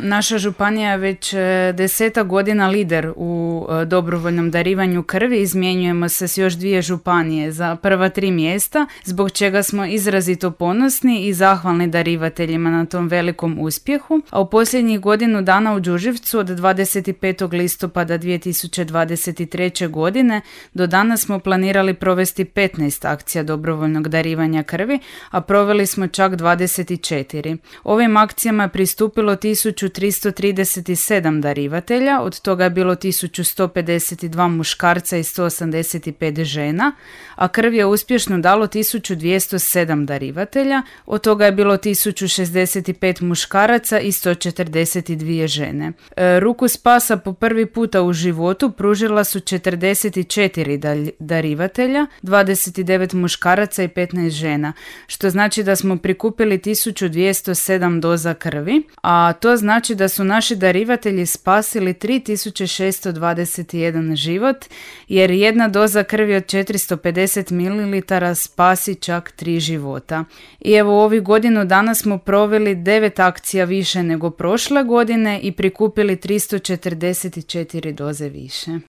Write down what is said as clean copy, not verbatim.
Naša županija je već 10 godina lider u dobrovoljnom darivanju krvi. Izmjenjujemo se s još 2 županije za prva 3 mjesta, zbog čega smo izrazito ponosni i zahvalni darivateljima na tom velikom uspjehu. A u posljednjih godinu dana u Đurđevcu od 25. listopada 2023. godine do danas smo planirali provesti 15 akcija dobrovoljnog darivanja krvi, a proveli smo čak 24. Ovim akcijama je pristupilo 1337 darivatelja, od toga je bilo 1152 muškarca i 185 žena, a krv je uspješno dalo 1207 darivatelja, od toga je bilo 1065 muškaraca i 142 žene. Ruku spasa po prvi puta u životu pružila su 44 darivatelja, 29 muškaraca i 15 žena, što znači da smo prikupili 1207 doza krvi, a to znači da su naši darivatelji spasili 3621 život, jer jedna doza krvi od 450 ml spasi čak 3 života. I evo, ovih godinu dana smo proveli 9 akcija više nego prošle godine i prikupili 344 doze više.